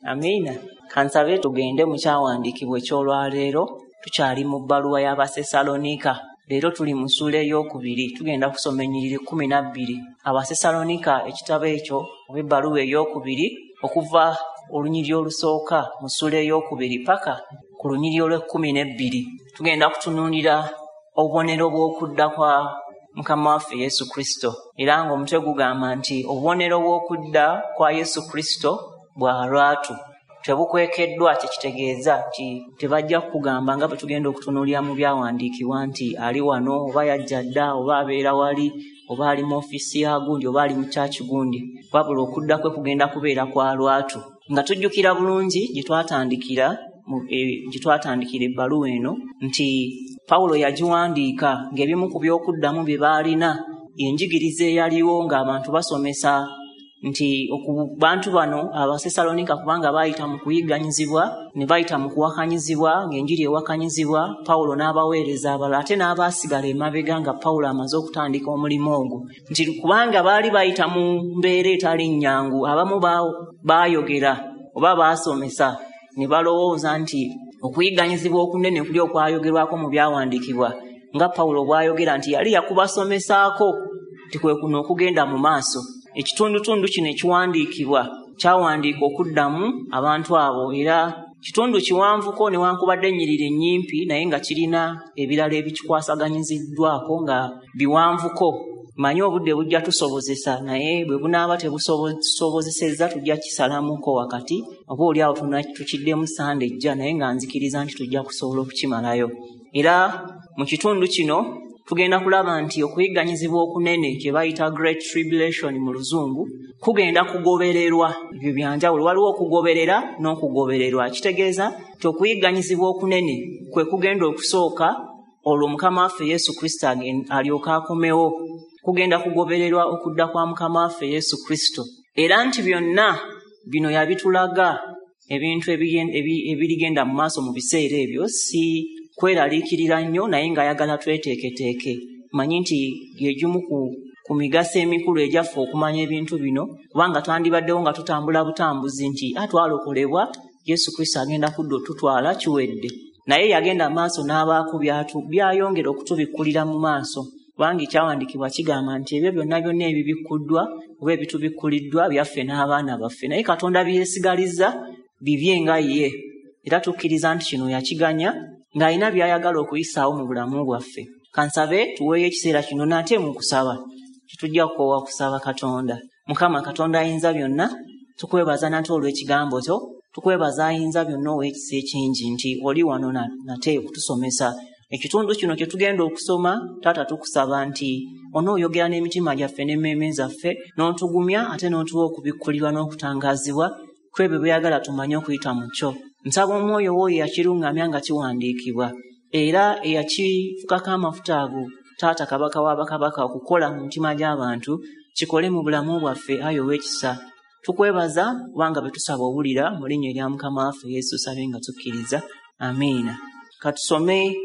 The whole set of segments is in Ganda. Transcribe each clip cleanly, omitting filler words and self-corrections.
Amiina. Kansabe tugende mu kyawandiikibwa eky'olwaleero. Tukyali mu bbaluwa y'Abasesalonika. Leero tuli mu ssuula 2, tugenda kusoma ennyiriri 12. Abasesalonika ekitabo ekyo oba ebbaluwa 2, okuva olunyiriri olusooka mu ssuula 2 paka ku lunyiriri olw'12. Tugenda kutunuulira obubonero bw'okudda kwa Mukama waffe Yesu Kristo. Era ng'omutwe gugamba nti obubonero bw'okudda kwa Yesu Kristo bwa lwatu, tebukwekeddwa. Kyekitegeeza nti tebajja kukugamba nga bwe tugenda okutunuulira mu byawandiikibwa nti ali wano oba yajja dda oba abeera wali oba ali mu ofiisi ya gundi oba ali mu kyaki gundi, wabula okudda kwe kugenda kubeera kwa lwatu. Nga tujjukira bulungi gye twatandikira ebbaluwa eno nti Pawulo yagiwandiika ng'ebimu ku by'okuddamu bye baalina enjigiriza eyaliwo ng'abantu basomesa nti bantu bano Abasesalonika kubanga baayita mu kuyigganyizibwa ne bayita mu kuwakanyizibwa, ng'enjiri ewakanyizibwa, Pawulo n'abaweereza abalala ate n'abaasigala emabega nga Pawulo amaze okutandika omulimu ogwo, nti kubanga baali bayita mu mbeera etali nnyangu, abamu baayogera oba baasomesa ne balowooza nti okuyigganyizibwa okunene kuli okwayogerwako mu byawandiikibwa nga Pawulo bw'ayogera nti yali yakubasomesaako nti kwe kuno okugenda mu maaso. Ekitundutundu kino ekiwandiikibwa kyawandiika okuddamu abantu abo, era kitundu kiwanvuko newankubadde ennyiriri ennyimpi, naye nga kirina ebirala ebikikwasaganyiziddwako nga biwanvuko. Manyi obudde bujja tusobozesa, naye bwe bunaaba tebusobozesezza tujja kisalamuko wakati, oba oli awo tukiddemu Sande ejja, naye nga nzikiriza nti tujja kusobola okukimalayo. Era mu kitundu kino tugenda kulaba nti okuyigganyizibwa okunene kye bayita Great Tribulation mu Luzungu kugenda kugobererwa. Ebyo byanjawulo, waliwo okugoberera n'okugobererwa. Kitegeeza nti okuyigganyizibwa okunene kwe kugenda okusooka, olwo Mukama waffe Yesu Kristo alyoke akomewo. Kugenda kugobererwa okudda kwa Mukama waffe Yesu Kristo. Era nti byonna bino yabitulaga ebintu ebirigenda mu maaso mu biseera ebyo, si kweraliikirira nnyo, naye ng'ayagala tweteeketeeke. Manyi nti gyegimu ku migaso emikulu egyaffe okumanya ebintu bino, kubanga twandibaddewo nga tutambula butambuzi nti twalokolebwa, Yesu Kristo agenda kudda otutwala, kiwedde. Naye yagenda maaso n'abaako byayongera okutubikkulira mu maaso, kubanga ekyawandiikibwa kigamba nti ebyo byonna byonna ebibikkuddwa oba ebitubikkuliddwa byaffe n'abaana baffe, naye Katonda byesigalizza bibye nga ye. Era tukkiriza nti kino yakiganya ng'alina by'ayagala okuyisaawo mu bulamu bwaffe. Kansabe tuweeyo ekiseera kino nate mu kusaba. Tetujja kukoowa kusaba Katonda. Mukama Katonda ayinza byonna, tukwebaza nate olw'ekigambo kyo, tukwebaza ayinza byonna ow'ekisa ekingi nti oli wano nate okutusomesa ekitundu kino kye tugenda okusoma. Taata, tukusaba nti onooyogera n'emitima gyaffe n'emmeeme zaffe, n'otugumya ate n'otuwa okubikkulirwa n'okutangaazibwa kwebyo by'oyagala tumanye okuyita mu kyo. Nsaba omwoyo wo eyakiruŋŋamya nga kiwandiikibwa era eyakifukako amafuta ago, Taata Kabaka w'abakabaka, okukola mu mitima gy'abantu, kikole mu bulamu bwaffe, ayi ow'ekisa. Tukwebaza kubanga bwe tusaba owulira, mu linnya erya Mukama waffe Yesu sabe nga tukkiriza. Amiina. Katusome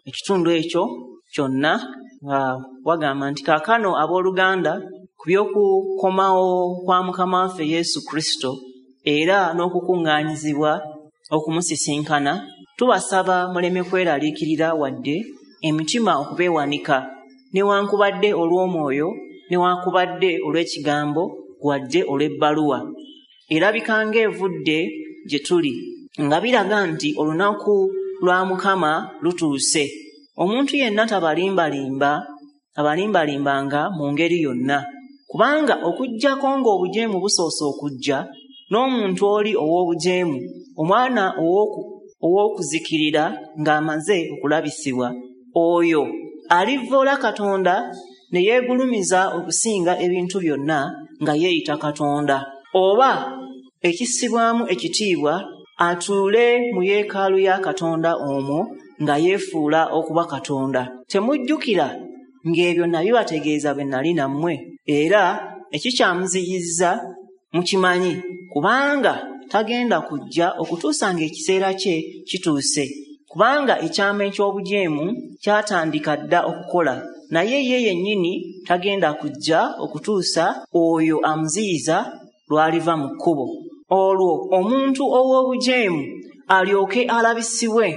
ekitundu ekyo kyonna. Wagamba nti kaakano abooluganda, ku by'okukomawo kwa Mukama waffe Yesu Kristo era n'okukuŋŋaanyizibwa okumusisinkana, tubasaba muleme kweraliikirira wadde emitima okubeewanika, newankubadde olw'omwoyo, newankubadde olw'ekigambo, wadde olw'ebbaluwa erabika ng'evudde gye tuli, nga biraga nti olunaku lwa Mukama lutuuse. Omuntu yenna tabalimbalimba mu ngeri yonna, kubanga okuggyako ng'obujeemu busoose okujja, n'omuntu oli ow'obujeemu, omwana ow'okuzikirira ng'amaze okulabisibwa, oyo alivvoola Katonda ne yeegulumiza okusinga ebintu byonna nga yeeyita Katonda, oba ekissibwamu ekitiibwa, atuule mu yeekaalu ya Katonda omwo nga yeefuula okuba Katonda. Temujjukira ng'ebyo nabibategeeza bwe nali nammwe, era ekikyamuziyiza mukimanyi, kubanga tagenda kujja okutuusa ng'ekiseera kye kituuse. Kubanga ekyama eky'obujeemu kyatandika dda okukola, naye ye yennyini tagenda kujja okutuusa oyo amuziyiza lw'aliva mu kkubo. Olwo omuntu ow'obujeemu alyoke alabisibwe,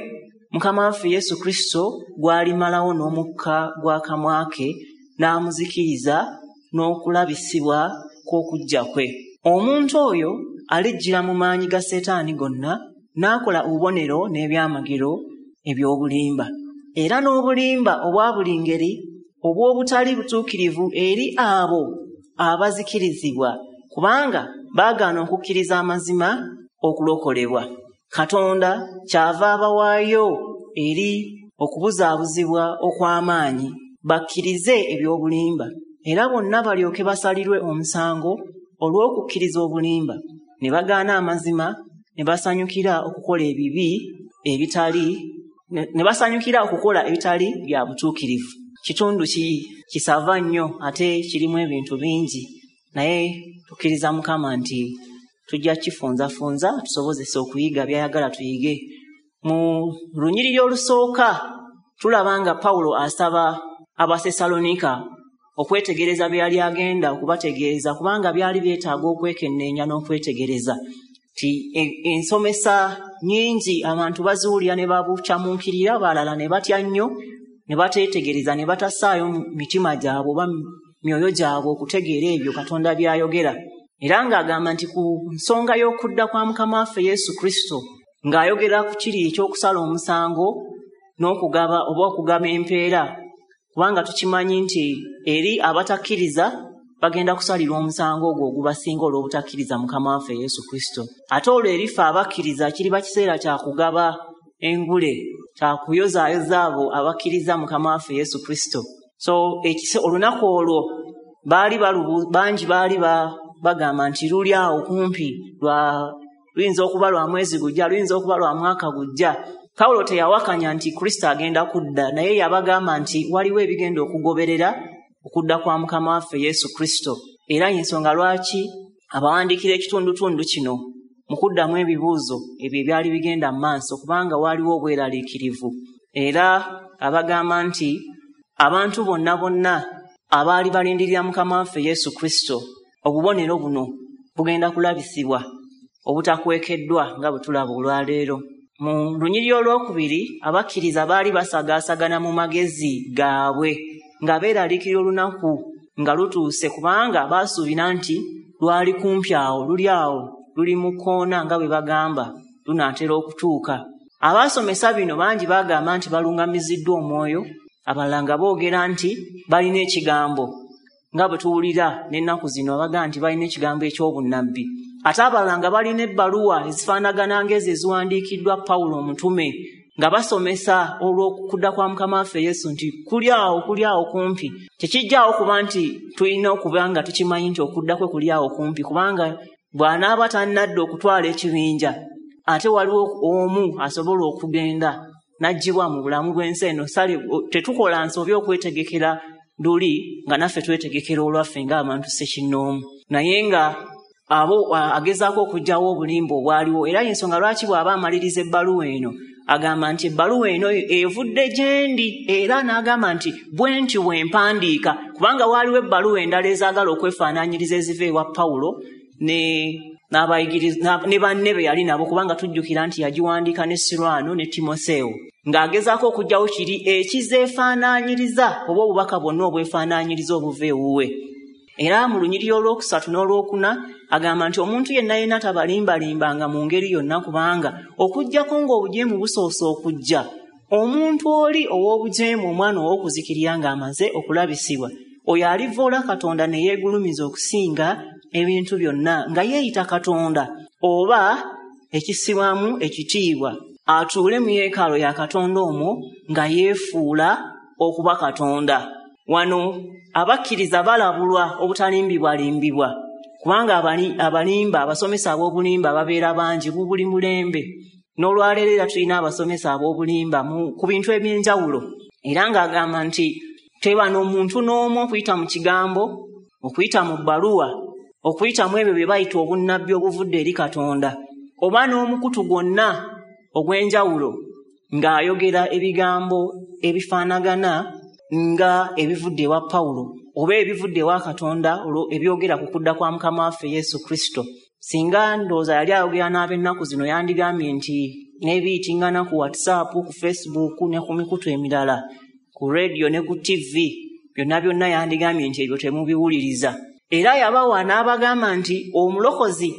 Mukama waffe Yesu Kristo gw'alimalawo n'omukka gw'akamwa ke n'amuzikiriza n'okulabisibwa kw'okujja kwe. Omuntu oyo alijjira mu maanyi ga Setaani gonna n'akola obubonero n'ebyamagero eby'obulimba, era n'obulimba obwa buli ngeri obw'obutali butuukirivu eri abo abazikirizibwa, kubanga baagaana okukkiriza amazima okulokolebwa. Katonda kyava abawaayo eri okubuzaabuzibwa okw'amaanyi bakkirize eby'obulimba, era bonna balyoke basalirwe omusango olw'okukkiriza obulimba, ne bagaana amazima, ne basanyukira okukola ebibi ebitali ne basanyukira okukola ebitali bya butuukirivu. Kitundu kisava nnyo ate kirimu ebintu bingi, naye tukkiriza Mukama nti tujja kifunzafunza tusobozese okuyiga by'ayagala tuyige. Mu lunyiriri olusooka tulaba nga Pawulo asaba Abasesalonika okwetegereza bye yali agenda okubategeeza, kubanga byali byetaaga okwekenneenya n'okwetegereza. Ti ensomesa nnyingi abantu baziwulira ne babukyamuukirira, balala ne batya nnyo ne bateetegereza ne batassaayo mitima gyabwe oba myoyo gyabwe okutegeera ebyo Katonda by'ayogera. Era ng'agamba nti ku nsonga y'okudda kwa Mukama waffe Yesu Kristo, ng'ayogera ku kiri eky'okusala omusango n'okugaba oba okugaba empeera, kubanga tukimanyi nti eri abatakkiriza bagenda kusalirwa omusango ogwo ogubasinga olw'obutakkiriza Mukama waffe Yesu Kristo. Ate olwo erife abakkiriza kiriba kiseera kya kugaba engule, kya kuyozaayoza abo abakkiriza Mukama waffe Yesu Kristo. So olunaku olwo baali bangi baali bagamba nti luli awo kumpi, luyinza okuba lwa mwezi gujja, luyinza okuba lwa mwaka gujja. Pawulo teyawakanya nti Kristo agenda kudda, naye yabagamba nti waliwo ebigenda okugoberera okudda kwa Mukama waffe Yesu Kristo. Era ensonga lwaki abawandiikira ekitundutundu kino mu kuddamu ebibuuzo ebyo ebyali bigenda mu maaso, kubanga waaliwo obweraliikirivu. Era abagamba nti abantu bonna bonna abaali balindirira Mukama waffe Yesu Kristo, obubonero buno bugenda kulabisibwa obutakwekeddwa nga bwe tulaba olwaleero. Mu lunyiriri olwokubiri abakkiriza baali basagaasagana mu magezi gaabwe nga beeraliikirira olunaku nga lutuuse, kubanga baasuubira nti lwali kumpi awo, luli awo, luli mu kkoona nga bwe bagamba, lunaatera okutuuka. Abaasomesa bino bangi bagamba nti balungamiziddwa omwoyo, abalala nga boogera nti balina ekigambo, nga bwe tuwulira n'ennaku zino abagamba nti balina ekigambo eky'obunnabbi. Ate abalala nga balina ebbaluwa ezifaanagana ng'ezo eziwandiikiddwa Pawulo omutume, nga basomesa olw'okudda kwa Mukama waffe Yesu nti kuli awo, kuli awo kumpi. Tekijjaawo kuba nti tulina okuba nga tukimanyi nti okudda kwe kuli awo kumpi, kubanga bw'anaaba tannadda okutwala ekibinja, ate waliwo omu asobola okugenda n'aggyibwa mu bulamu bw'ensi eno. Sale tetukola nsobi okwetegekera luli nga naffe twetegekera olwaffe ng'abantu ssekinnoomu, naye nga abo agezaako okuggyawo obulimba obwaliwo. Era ensonga lwaki bw'aba amaliriza ebbaluwa eno agamba nti ebbaluwa eno evudde gye ndi, era n'agamba nti bwe nti bwe mpandiika, kubanga waaliwo ebbaluwa endala ezaagala okwefaanaanyiriza eziva ewa Pawulo ne banne be yali nabo, kubanga tujjukira nti yagiwandiika ne Sirwano ne Timoseewo, ng'agezaako okuggyawo kiri ekizeefaanaanyiriza oba obubaka bwonna obwefaanaanyiriza obuva ewuwe. Era mu lunyiriri olwokusatu n'olwokuna agamba nti omuntu yenna yenna tabalimbalimbanga mu ngeri yonna, kubanga okuggyako ng'obujeemu busoose okujja, omuntu oli ow'obujeemu, omwana ow'okuzikirira ng'amaze okulabisibwa, oyo alivoola Katonda ne yeegulumiza okusinga ebintu byonna, nga yeeyita Katonda oba ekissibwamu ekitiibwa, atuule mu yeekaalu ya Katonda omwo nga yeefuula okuba Katonda. Wano abakkiriza balabulwa obutalimbibwalimbibwa, kubanga abalimba, abasomesa ab'obulimba babeera bangi mu buli mulembe. N'olwaleero era tulina abasomesa ab'obulimba ku bintu eby'enjawulo. Era ng'agamba nti teba n'omuntu n'omu okuyita mu kigambo, okuyita mu bbaluwa, okuyita mu ebyo bye bayita obunnabbi obuvudde eri Katonda, oba n'omukutu gwonna ogw'enjawulo ng'ayogera ebigambo ebifaanagana nga ebivudde ewa Pawulo oba ebivudde ewa Katonda ebyogera ku kudda kwa Mukama waffe Yesu Kristo. Singa ndowooza yali ayogera n'ab'ennaku zino, yandigambye nti n'ebiyitiŋŋana ku WhatsApp, ku Facebook ne ku mikutu emirala, ku rediyo ne ku TV, byonna byonna yandigambye nti ebyo temubiwuliriza. Era yabawa n'abagamba nti omulokozi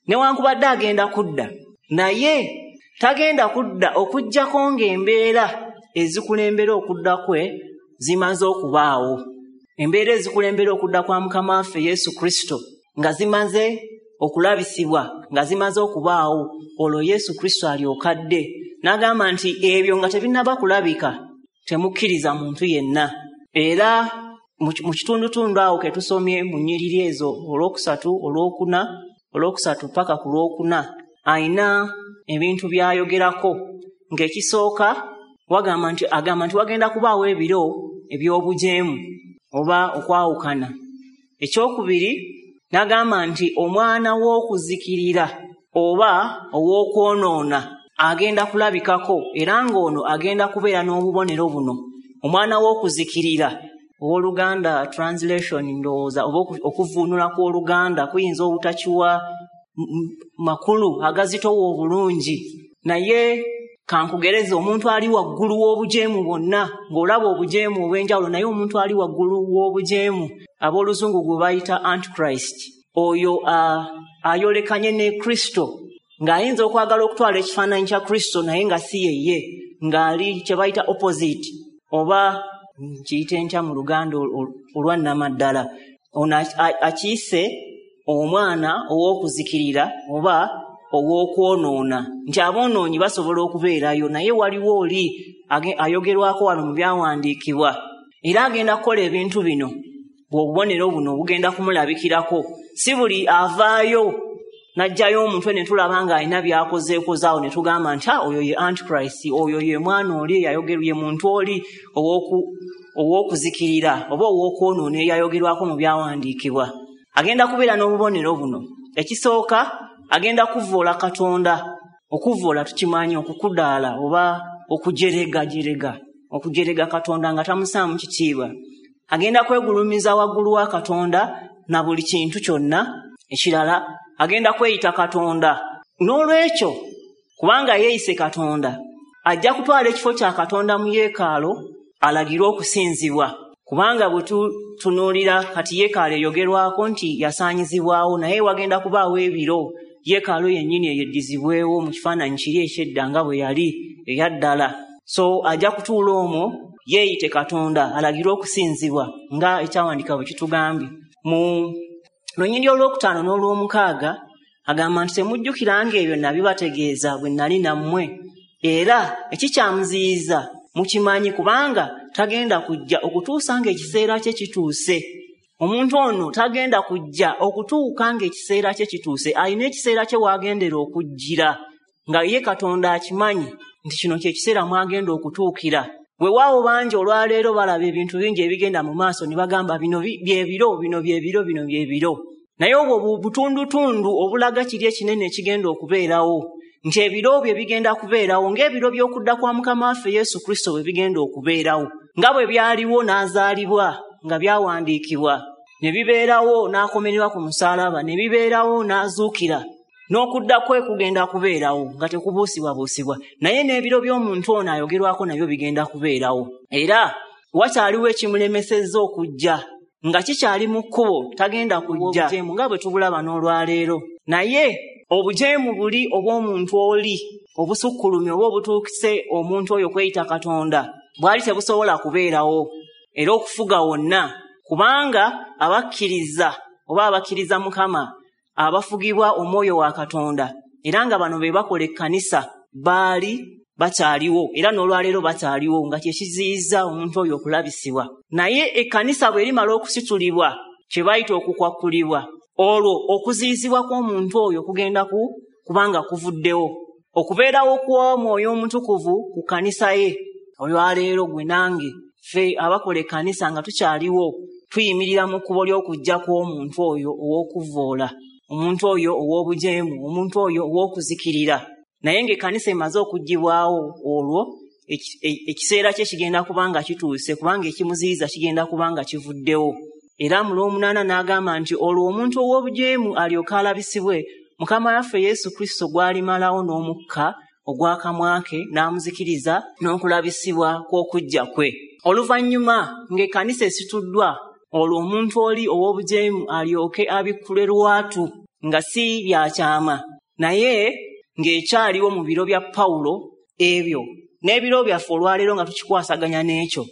newankubadde agenda kudda, naye tagenda kudda okuggyako ng'embeera ezikulembera okudda kwe zimaze okubaawo. Embeera ezikulembera okudda kwa Mukama waffe Yesu Kristo nga zimaze okulabisibwa, nga zimaze okubaawo, olwo Yesu Kristo alyoka adde. N'agamba nti ebyo nga tebinnaba kulabika, temukkiriza muntu yenna. Era mu kitundutundu awo ke tusomye mu nnyiriri ezo olwokusatu, olwokuna, olwokusatu paka ku lwokuna, ayina ebintu by'ayogerako. Ng'ekisooka agamba nti wagenda kubaawo ebiro eby'obujeemu oba okwawukana. Ekyokubiri n'agamba nti omwana w'okuzikirira oba ow'okwonoona agenda kulabikako, era ng'ono agenda kubeera n'obubonero buno. Omwana w'okuzikirira, owooluganda translation ndowooza oba okuvvuunula kw'Oluganda kuyinza obutakiwa makulu agazitowa obulungi, naye kankugereze omuntu ali waggulu w'obujeemu bwonna, ng'olaba obujeemu obw'enjawulo, naye omuntu ali waggulu w'obujeemu ab'oluzungu gwe bayita Antichrist, oyo ayolekanye ne Kristo, ng'ayinza okwagala okutwala ekifaananyi kya Kristo naye nga si yeye, ng'ali kye bayita opposite, oba nkiyite ntya mu Luganda olwannamaddala. Ono akiyise omwana ow'okuzikirira oba ow'okwonoona, nti aboonoonyi basobola okubeerayo, naye waliwo oli ayogerwako wano mu byawandiikibwa, era agenda kukola ebintu bino, bw'obubonero buno bugenda kumulabikirako. Si buli avaayo n'aggyayo omutwe ne tulaba ng'alina by'akozeekozaawo ne tugamba nti oyo ye Antichrist, oyo ye mwana oli eyayogerwa, ye muntu oli ow'okuzikirira oba ow'okwonoona eyayogerwako mu byawandiikibwa. Agenda kubeera n'obubonero buno. Ekisooka, agenda kuvvoola Katonda. Okuvvoola tukimanyi, okukudaala oba okujeregajerega, okujerega Katonda nga tamusaamu kitiibwa. Agenda kwegulumiza waggulu wa Katonda na buli kintu kyonna ekirala. Agenda kweyita Katonda. N'olwekyo, kubanga yeeyise Katonda, ajja kutwala ekifo kya Katonda mu yeekaalo alagirwe okusinzibwa. Kubanga bwe tutunuulira kati yeekaalo eyogerwako nti yasaanyizibwawo, naye wagenda kubaawo ebiro yeekaalo yennyini eyeddizibwewo mu kifaananyi kiri eky'edda nga bwe yali eyaddala. So ajja kutuula omwo yeeyite Katonda alagirwe okusinzibwa nga ekyawandiikibwa bwe kitugambye. Mu lunyiriri olwokutaano n'olwomukaaga agamba nti temujjukiranga ebyo nabibategeeza bwe nali nammwe, era ekikyamuziyiza mukimanyi, kubanga tagenda kujja okutuusa ng'ekiseera kye kituuse. Omuntu ono tagenda kujja okutuuka ng'ekiseera kye kituuse. Alina ekiseera kye w'agendera okujjira, nga ye Katonda akimanyi nti kino kye kiseera mw'agenda okutuukira. Weewaawo bangi olwaleero balaba ebintu bingi ebigenda mu maaso ne bagamba bino byebiro, bino byebiro, bino byebiro. Naye obwo butundutundu obulaga kiri ekinene ekigenda okubeerawo, nti ebiro bye bigenda kubeerawo ng'ebiro by'okudda kwa Mukama waffe Yesu Kristo bwe bigenda okubeerawo, nga bwe byaliwo n'azaalibwa nga byawandiikibwa, ne bibeerawo n'akomererwa ku musaalaba, ne bibeerawo n'azuukira, n'okudda kwe kugenda kubeerawo nga tekubuusibwabuusibwa. Naye n'ebiro by'omuntu ono ayogerwako nabyo bigenda kubeerawo. Era wakyaliwo ekimulemesezza okujja, nga kikyali mu kkubo, tagenda kujja nga bwe tubulaba n'olwaleero. Naye obujeemu buli obw'omuntu oli obusukkulumye oba obutuukise omuntu oyo kweyita Katonda bwali tebusobola kubeerawo era okufuga wonna, kubanga abakkiriza oba abakkiriza Mukama abafugibwa omwoyo wa Katonda, era nga bano be bakola ekkanisa, baali bakyaliwo era n'olwaleero bakyaliwo, nga kye kiziyiza omuntu oyo okulabisibwa. Naye ekkanisa bw'erimala okusitulibwa, kye bayita okukwakkulibwa, olwo okuziyizibwa kw'omuntu oyo kugenda kubanga kuvuddewo. Okubeerawo kw'Omwoyo Omutukuvu ku kkanisa ye olwaleero, gwe nange ffe abakola ekkanisa nga tukyaliwo, tuyimirira mu kkubo ly'okujja kw'omuntu oyo ow'okuvvoola, omuntu oyo ow'obujeemu, omuntu oyo ow'okuzikirira. Naye ng'ekkanisa emaze okuggyibwawo, olwo ekiseera kye kigenda kubanga kituuse, kubanga ekimuziyiza kigenda kubanga kivuddewo. Era mu lw'omunaana n'agamba nti olwo omuntu ow'obujeemu alyoke alabisibwe, Mukama waffe Yesu Kristo gw'alimalawo n'omukka ogw'akamwa ke n'amuzikiriza n'okulabisibwa kw'okujja kwe. Oluvannyuma ng'ekkanisa esituddwa, olwo omuntu oli ow'obujeemu alyoke abikkule lwatu nga si byakyama, naye ng'ekyaliwo mu biro bya Pawulo ebyo n'ebiro byaffe olwaleero nga tukikwasaganya n'ekyo,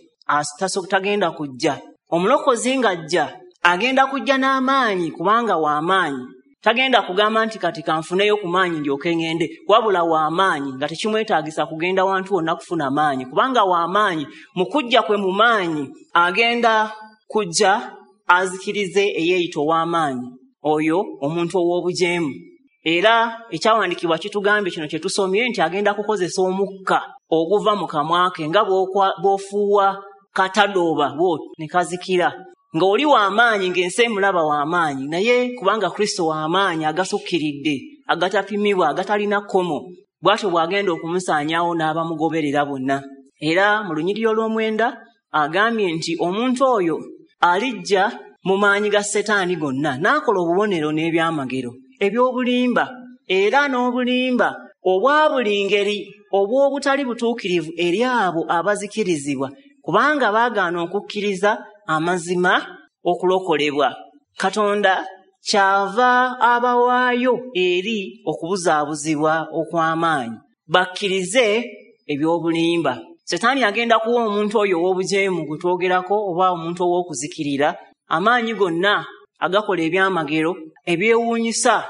tagenda kujja. Omulokozi ng'ajja agenda kujja n'amaanyi, kubanga w'amaanyi. Tagenda kugamba nti kati kanfuneyo ku maanyi ndyoke ŋŋende, wabula w'amaanyi nga tekimwetaagisa kugenda wantu wonna kufuna maanyi, kubanga w'amaanyi. Mu kujja kwe mu maanyi agenda kujja azikirize eyeeyita ow'amaanyi, oyo omuntu ow'obujeemu. Era ekyawandiikibwa kitugambye kino kye tusomye nti agenda kukozesa omukka oguva mu kamwa ke nga bw'ofuuwa katadooba bw'oti ne kazikira. Ng'oli w'amaanyi, ng'ensi emulaba w'amaanyi, naye kubanga Kristo w'amaanyi agasukkiridde, agatapimibwa, agatalina kkomo, bw'atyo bw'agenda okumusaanyaawo n'abamugoberera bonna. Era mu lunyiriri olw'omwenda agambye nti omuntu oyo alijja mu maanyi ga Setaani gonna n'akola obubonero n'ebyamagero eby'obulimba, era n'obulimba obwa buli ngeri obw'obutali butuukirivu eri abo abazikirizibwa, kubanga baagaana okukkiriza amazima okulokolebwa. Katonda kyava abawaayo eri okubuzaabuzibwa okw'amaanyi, bakkirize eby'obulimba. Setaani agenda kuwa omuntu oyo ow'obujeemu gwe twogerako, oba omuntu ow'okuzikirira, amaanyi gonna agakola ebyamagero ebyewuunyisa.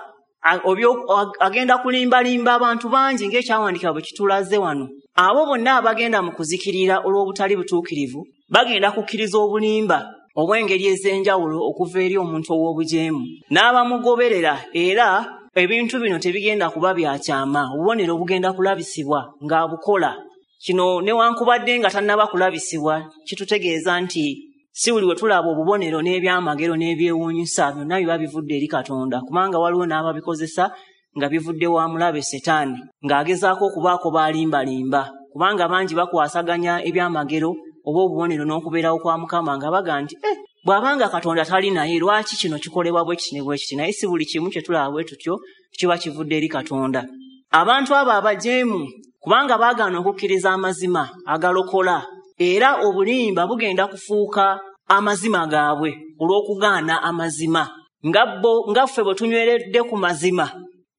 Agenda kulimbalimba abantu bangi ng'ekyawandiikibwa bwe kitulaze wano. Abo bonna abagenda mu kuzikirira olw'obutali butuukirivu bagenda kukkiriza obulimba obw'engeri ez'enjawulo okuva eri omuntu ow'obujeemu n'abamugoberera. Era ebintu bino tebigenda kuba bya kyama, obubonero bugenda kulabisibwa ng'abukola. Kino newankubadde nga tannaba kulabisibwa, kitutegeeza nti si buli we tulaba obubonero n'ebyamagero n'ebyewuunyisa byonna biba bivudde eri Katonda, kubanga waliwo n'ababikozesa nga bivudde wa mulabe Setaani, ng'agezaako okubaako baalimbalimba, kubanga bangi bakwasaganya ebyamagero oba obubonero n'okubeerawo kwa Mukama nga baga nti bw'abanga Katonda tali naye lwaki kino kikolebwa bwe kiti ne bwe kiti. Naye si buli kimu kye tulaba bwe tutyo kiba kivudde eri Katonda. Abantu abo abajeemu, kubanga baagaana okukkiriza amazima agalokola, era obulimba bugenda kufuuka amazima gaabwe olw'okugaana amazima. Nga ffe bwe tunyweredde ku mazima,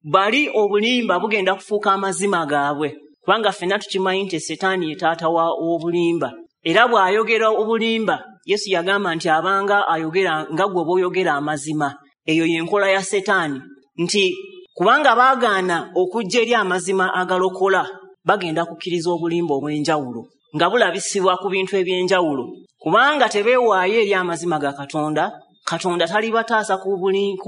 bali obulimba bugenda kufuuka amazima gaabwe, kubanga ffenna tukimanyi nti Setaani ye taata w'obulimba. Era bw'ayogera obulimba, Yesu yagamba nti abanga ayogera nga gwe bw'oyogera amazima. Eyo y'enkola ya Setaani, nti kubanga baagaana okujja eri amazima agalokola, bagenda kukkiriza obulimba obw'enjawulo nga bulabisibwa ku bintu eby'enjawulo. Kubanga tebeewaayo eri amazima ga Katonda, Katonda talibataasa ku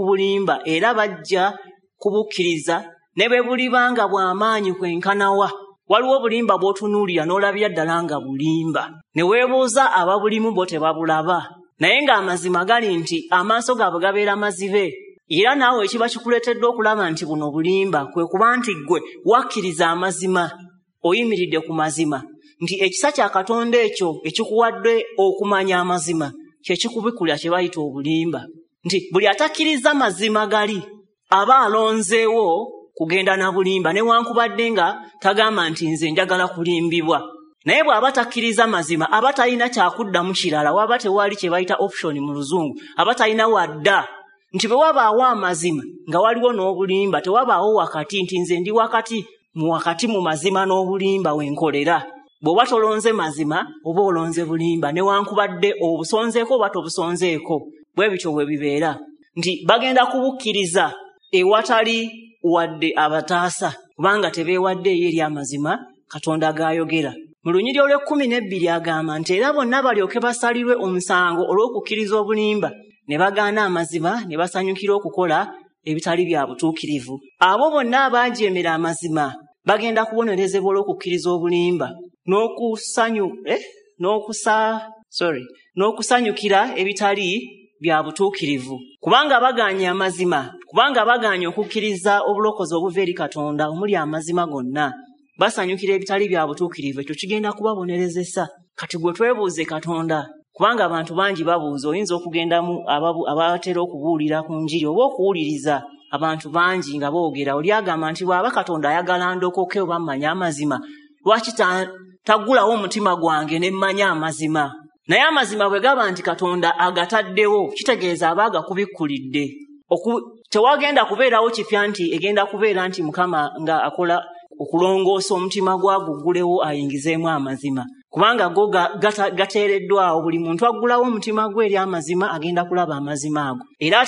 bulimba, era bajja kubukkiriza ne bwe buliba nga bw'amaanyi kwenkanawa. Waliwo obulimba bw'otunuulira n'olabira ddala nga bulimba, ne weebuuza ababulimu bo tebabulaba, naye ng'amazima gali nti amaaso gaabwe gabeera mazibe. Era naawe ekiba kikuleetedde okulaba nti buno bulimba kwe kuba nti ggwe wakkiriza amazima, oyimiridde ku mazima, nti ekisa kya Katonda ekyo ekikuwadde okumanya amazima kye kikubikulira kye bayita obulimba. Nti buli atakkiriza mazima gali aba alonzeewo kugenda na bulimba, newankubadde nga tagamba nti nze njagala kulimbibwa. Naye bw'aba takkiriza mazima aba talina kyakuddamu kirala, waba tewali kye bayita option mu Luzungu, aba talina wadda. Nti bwe wabaawo amazima nga waliwo n'obulimba, tewabaawo wakati nti nze ndi wakati mu wakati mu mazima n'obulimba wenkolera. Bw'oba tolonze mazima oba olonze bulimba, newankubadde obusonzeeko oba tobusonzeeko, bwe bityo bwe bibeera. Nti bagenda kubukkiriza ewatali wadde abataasa, kubanga tebeewaddeeyo eri amazima Katonda g'ayogera. Mu lunyiriri olw'e12 agamba nti era bonna balyoke basalirwe omusango olw'okukkiriza obulimba, ne bagaana amazima, ne basanyukira okukola ebitali bya butuukirivu. Abo bonna abaajeemera amazima bagenda kubonerezebwa olw'okukkiriza obulimba n'okusanyukira ebitali bya butuukirivu, kubanga bagaanye amazima, kubanga bagaanye okukkiriza obulokozi obuva eri Katonda omuli amazima gonna, basanyukira ebitali bya butuukirivu. Ekyo kigenda kubabonerezesa. Kati gwe twebuuze Katonda, kubanga abantu bangi babuuza, oyinza okugendamu abatera okubuulira ku njiri oba okuwuliriza abantu bangi nga boogera. Oli agamba nti bw'aba Katonda ayagala ndokoke oba mmanye amazima, lwaki taggulawo omutima gwange ne mmanya amazima? Naye amazima bwe gaba nti Katonda agataddewo, kitegeeza aba agakubikkulidde. Tewagenda kubeerawo kipya nti egenda kubeera nti Mukama nga akola okulongoosa omutima gwaguggulewo ayingizeemu amazima, kubanga go gateereddwawo. Buli muntu aggulawo omutima gwe eri amazima agenda kulaba amazima ago, era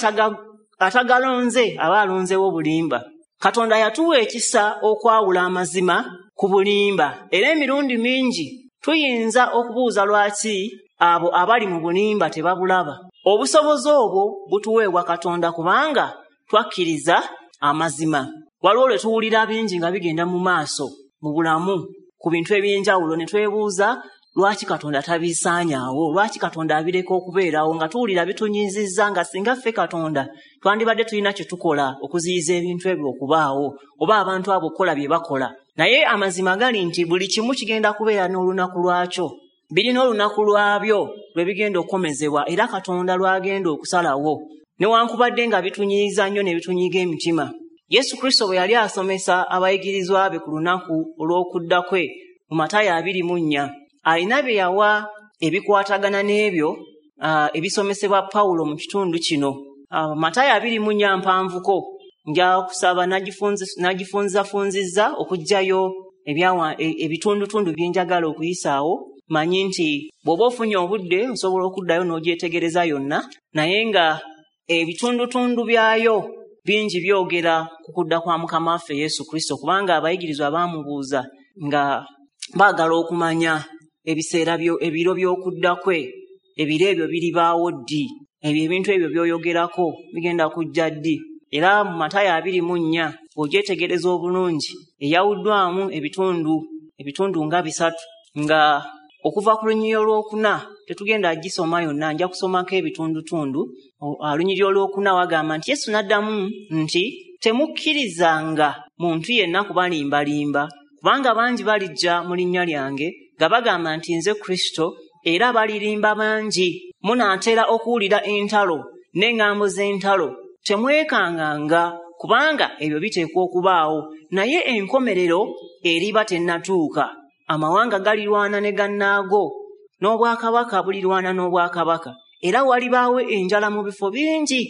atagalonze aba alonzewo bulimba. Katonda yatuwa ekisa okwawula amazima ku bulimba, era emirundi mingi tuyinza okubuuza lwaki abo abali mu bulimba tebabulaba. Obusobozi obwo butuweebwa Katonda kubanga twakkiriza amazima. Waliwo lwe tuwulira bingi nga bigenda mu maaso mu bulamu ku bintu eby'enjawulo, ne twebuuza lwaki Katonda tabisaanyaawo, lwaki Katonda abireka okubeerawo, nga tuwulira bitunyiizizza, nga singa ffe Katonda twandibadde tulina kye tukola okuziyiza ebintu ebyo okubaawo oba abantu abo okukola bye bakola. Naye amazima gali nti buli kimu kigenda kubeera n'olunaku lwakyo, birina olunaku lwabyo lwe bigenda okukomezebwa, era Katonda lw'agenda okusalawo, newankubadde nga bitunyiiza nnyo ne bitunyiiga emitima. Yesu Kristo bwe yali asomesa abayigirizwa be ku lunaku olw'okudda kwe mu Matayo 24, alina bye yawa ebikwatagana n'ebyo ebisomesebwa Pawulo mu kitundu kino. Matayo 24 mpanvuko, nja kusaba nagifunzafunzizza okuggyayo ebitundutundu bye njagala okuyisaawo. Manyi nti bw'oba ofunye obudde osobola okuddayo n'ogyetegereza yonna, naye nga ebitundutundu byayo bingi byogera ku kudda kwa Mukama waffe Yesu Kristo, kubanga abayigirizwa baamubuuza nga baagala okumanya ebiseera ebiro by'okudda kwe, ebiro ebyo biribaawo ddi, ebyo ebintu ebyo by'oyogerako bigenda kujja ddi. Era mu Matayo 24 ogyetegereza obulungi, eyawuddwamu ebitundu nga bisatu, nga okuva ku lunyiriri olwokuna tetugenda gisoma yonna, nja kusomako ebitundutundu. Olunyiriri olwokuna wagamba nti Yesu n'addamu nti temukkirizanga muntu yenna kubalimbalimba, kubanga bangi balijja mu linnya lyange nga bagamba nti nze Kristo, era balirimba bangi. Munaatera okuwulira entalo n'eŋŋambo z'entalo, temwekanganga, kubanga ebyo biteekwa okubaawo, naye enkomerero eriba tennatuuka. Amawanga galirwana ne gannaago, n'obwakabaka bulirwana n'obwakabaka, era walibaawo enjala mu bifo bingi,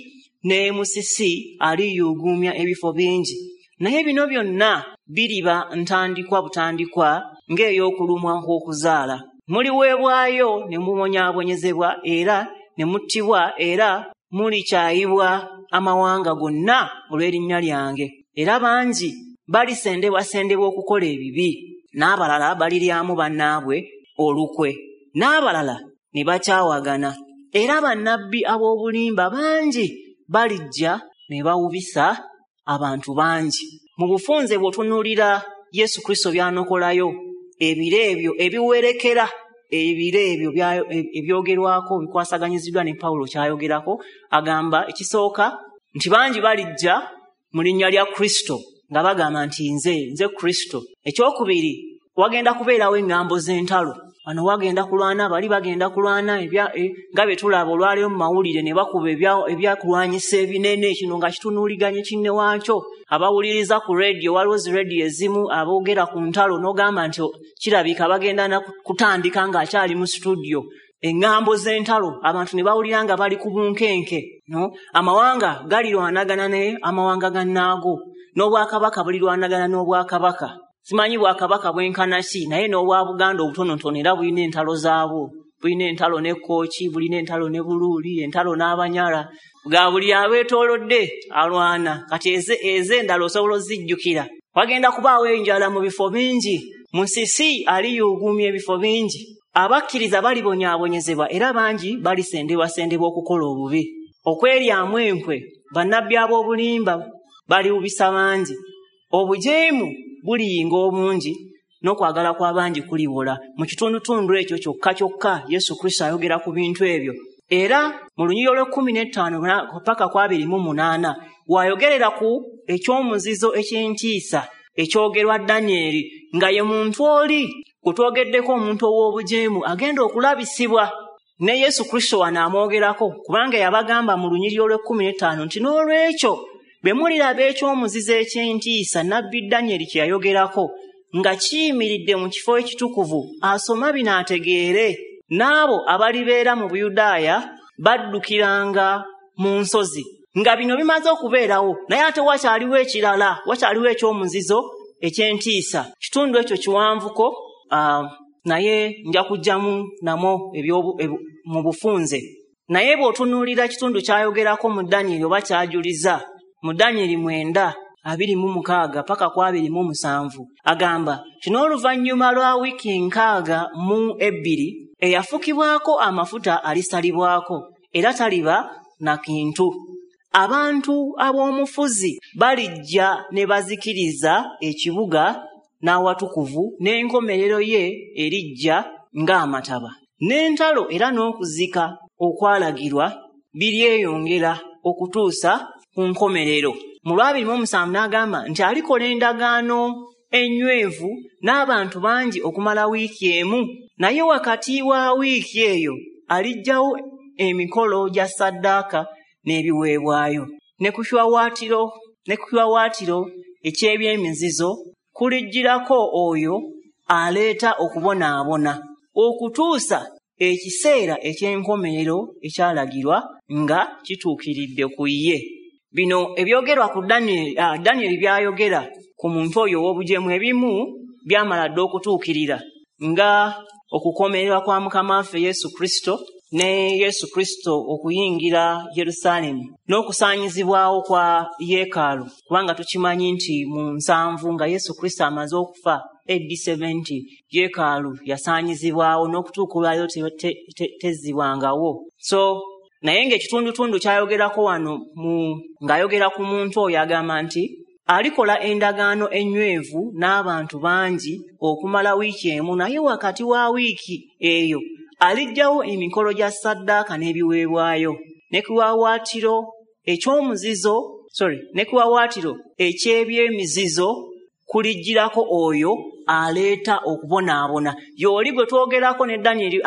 ne musisi aliyuuguumya ebifo bingi. Naye bino byonna biriba ntandikwa butandikwa ng'ey'okulumwa kw'okuzaala. Muliweebwayo ne mubonyaabonyezebwa era ne muttibwa, era mulikyayibwa amawanga gonna olw'erinnya lyange. Era bangi balisendebwasendebwa okukola ebibi, n'abalala baliryamu bannaabwe olukwe, n'abalala ne bakyawagana. Era bannabbi ab'obulimba bangi balijja ne bawubisa abantu bangi. Mu bufunze bw'otunuulira Yesu Kristo by'anokolayo, ebiro ebyo ebiwerekera, ebiro ebyo ebyogerwako bikwasaganyiziddwa ne Pawulo ky'ayogerako. Agamba ekisooka nti bangi balijja mu linnya lya Kristo nga bagamba nti nze Kristo. Ekyokubiri, wagenda kubeerawo eŋŋambo z'entalo. Wano wagenda kulwana, bali bagenda kulwana, nga bye tulaba olwaleero mu mawulire ne bakuba ebyakulwanyisa ebinene, kino nga kitunuuliganye kinne waakyo. Abawuliriza ku rediyo, waliwo zi rediyo ezimu aboogera ku ntalo n'ogamba nti kirabika bagenda kutandika ng'akyali mu situdiyo. Eŋŋambo z'entalo, abantu ne bawulira nga bali ku bunkenke. Amawanga galirwanagana ne amawanga gannaago, n'obwakabaka bulirwanagana n'obwakabaka. Simanyi bwakabaka bwenkana ki, naye n'obwa Buganda obutonotono era bulina entalo zaabwo. Bulina entalo ne Kkooki, bulina entalo ne Buluuli, entalo n'Abanyala, nga buli abeetoolodde alwana. Kati ez'endala osobola ozijjukira. Wagenda kubaawo enjala mu bifo bingi, musisi aliyuuguumya ebifo bingi. Abakkiriza balibonyaabonyezebwa, era bangi balisendebwasendebwa okukola obubi. Okweryamu enkwe, bannabbi ab'obulimba baliwubisa bangi. Obujeemu buliyinga obungi, n'okwagala kw'abangi kuliwola. Mu kitundutundu ekyo kyokka kyokka Yesu Kristo ayogera ku bintu ebyo. Era mu lunyiriri olw'e15 paka ku 28 w'ayogerera ku ekyomuzizo eky'entiisa ekyogerwa Danyeri, nga ye muntu oli gwe twogeddeko, omuntu ow'obujeemu agenda okulabisibwa. Ne Yesu Kristo wano amwogerako, kubanga yabagamba mu lunyiriri olw'e15 nti n'olwekyo Bwe muliraba ekyomuzizo eky'entiisa Nabbi Danyeri kye yayogerako nga kiyimiridde mu kifo ekitukuvu, asoma bino ategeere, n'abo abalibeera mu Buyudaaya baddukiranga mu nsozi. Nga bino bimaze okubeerawo, naye ate wakyaliwo ekirala, wakyaliwo ekyomuzizo eky'entiisa. Kitundu ekyo kiwanvuko, naye nja kujjamu namwo mu bufunze. Naye bw'otunuulira kitundu kyayogerako mu Danyeri oba kyajuliza mu Danyeri 9:26 paka ku 27, agamba kino: oluvannyuma lwa wiiki 62 eyafukibwako amafuta alisalibwako, era taliba na kintu. Abantu ab'omufuzi balijja ne bazikiriza ekibuga n'awatukuvu, n'enkomerero ye erijja ng'amataba. N'entalo era n'okuzika okwalagirwa biryeyongera okutuusa ku nkomerero. Mu 27 n'agamba nti alikola endagaano ennywevu n'abantu bangi okumala wiiki emu, naye wakati wa wiiki eyo aliggyawo emikolo gya ssaddaaka n'ebiweebwayo. Ne ku kiwawaatiro eky'ebyemizizo kulijjirako oyo aleeta okubonaabona, okutuusa ekiseera eky'enkomerero ekyalagirwa nga kituukiridde ku ye. Bino ebyogerwa ku Danyeri byayogera ku muntu oyo ow'obujeemu ebimu byamala dda okutuukirira, nga okukomererwa kwa Mukama waffe Yesu Kristo ne Yesu Kristo okuyingira Yerusaalemi n'okusaanyizibwawo kwa yeekaalu, kubanga tukimanyi nti mu 70 nga Yesu Kristo amaze okufa AD 70 yeekaalu yasaanyizibwawo n'okutuuka olwaleero tezzibwangawo. So naye ng'ekitundutundu kyayogerako wano ng'ayogera ku muntu oyo agamba nti alikola endagaano ennywevu n'abantu bangi okumala wiiki emu, naye wakati wa wiiki eyo aliggyawo emikolo gya ssaddaaka n'ebiweebwayo. Ne kiwawaatiro eky'omuzizo, ne kiwawaatiro eky'ebyemizizo kulijjirako oyo aleeta okubonaabona. Y'oli gwe twogerako ne Danyeri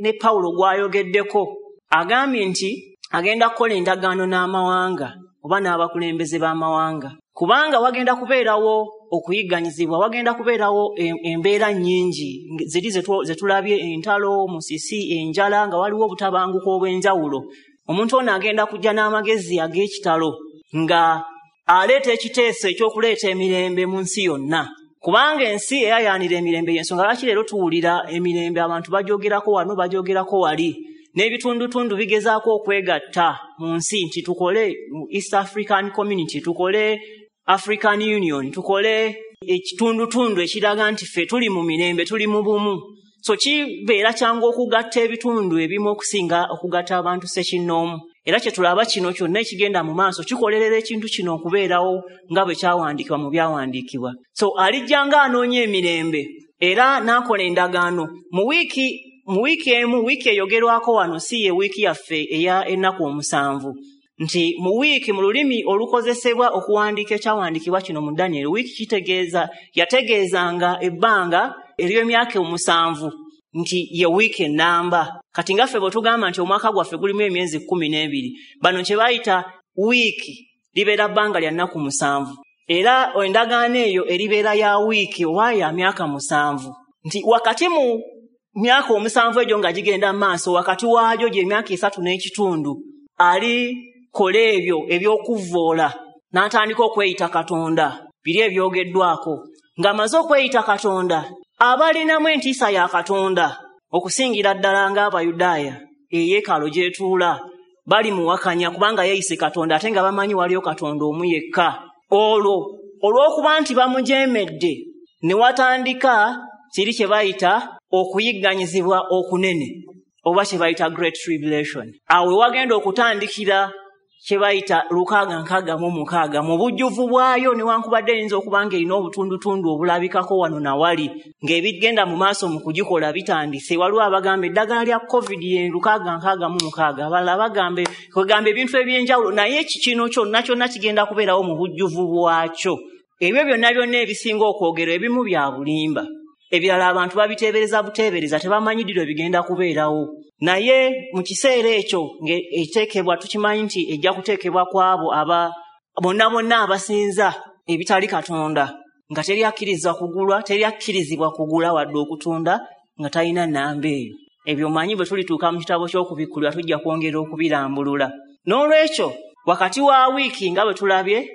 ne Pawulo gw'ayogeddeko. Agambye nti agenda kukola endagaano n'amawanga oba n'abakulembeze b'amawanga, kubanga wagenda kubeerawo okuyigganyizibwa, wagenda kubeerawo embeera nnyingi ziri ze tulabye, entalo, musisi, enjala, nga waliwo obutabanguko obw'enjawulo. Omuntu ono agenda kujja n'amagezi ag'ekitalo nga aleeta ekiteeso eky'okuleeta emirembe mu nsi yonna, kubanga ensi eyayaanira emirembe. Y'ensonga lwaki leero tuwulira emirembe, abantu bajogerako wano, bajogerako wali, n'ebitundutundu bigezaako okwegatta mu nsi nti tukole East African Community, tukole African Union, tukole ekitundutundu ekiraga nti ffe tuli mu mirembe, tuli mu bumu. So kibeera kyangu okugatta ebitundu ebimu okusinga okugatta abantu ssekinnoomu. Era kye tulaba kino kyonna ekigenda mu maaso kikolerera ekintu kino okubeerawo nga bwe kyawandiikibwa mu byawandiikibwa. So alijja ng'anoonya emirembe era n'akola endagaano mu wiiki emu. Wiiki eyogerwako wano si ye wiiki yaffe eya ennaku 7, nti mu wiiki mu lulimi olukozesebwa okuwandiika ekyawandiikibwa kino mu Danyeri, wiiki kitegeeza yategeezanga ebbanga ery'emyaka 7, nti ye wiiki ennamba. Kati nga ffe bwe tugamba nti omwaka gwaffe gulimu emyezi 12, bano kye bayita wiiki libeera bbanga lya nnaku 7, era endagaano eyo eribeera ya wiiki oba ya myaka 7, nti wakati mu myaka 7 egyo nga gigenda maaso, wakati waagyo gy'emyaka 3 n'ekitundu alikola ebyo eby'okuvvoola n'atandika okweyita Katonda, biri ebyogeddwako. Ng'amaze okweyita Katonda, abalinamu entiisa ya Katonda okusingira ddala ng'Abayudaaya eyeekaalu gy'etuula bali muwakanya, kubanga yeeyise Katonda ate nga bamanyi waliyo Katonda omu yekka. Olwo olw'okuba nti bamujeemedde ne watandika kiri kye bayita okuyigganyizibwa okunene oba kye bayita Great Tribulation. Awo wagenda okutandikira kye bayita 666 mu bujjuvu bwayo, newankubadde eyinza okuba ng'erina obutundutundu obulabikako wano na wali ng'ebigenda mu maaso mu kugikola bitandise. Waliwo abagamba eddagala lya COVID ye 666, abalala bagambe kwegamba ebintu eby'enjawulo, naye kino kyonna kyonna kigenda kubeerawo mu bujjuvu bwakyo. Ebyo byonna byonna ebisinga okwogerwa ebimu bya bulimba, ebirala abantu babiteebereza buteebereza, tebamanyi ddi lwe bigenda kubeerawo. Naye mu kiseera ekyo ng'eteekebwa, tukimanyi nti ejja kuteekebwa ku abo bonna bonna abasinza ebitali Katonda, nga teri akkiriza kugulwa, teri akkirizibwa kugula wadde okutunda nga talina nnamba eyo. Ebyo manyi bwe tulituuka mu kitabo ky'okubikkulirwa tujja kwongera okubirambulula. N'olwekyo wakati wa wiiki nga bwe tulabye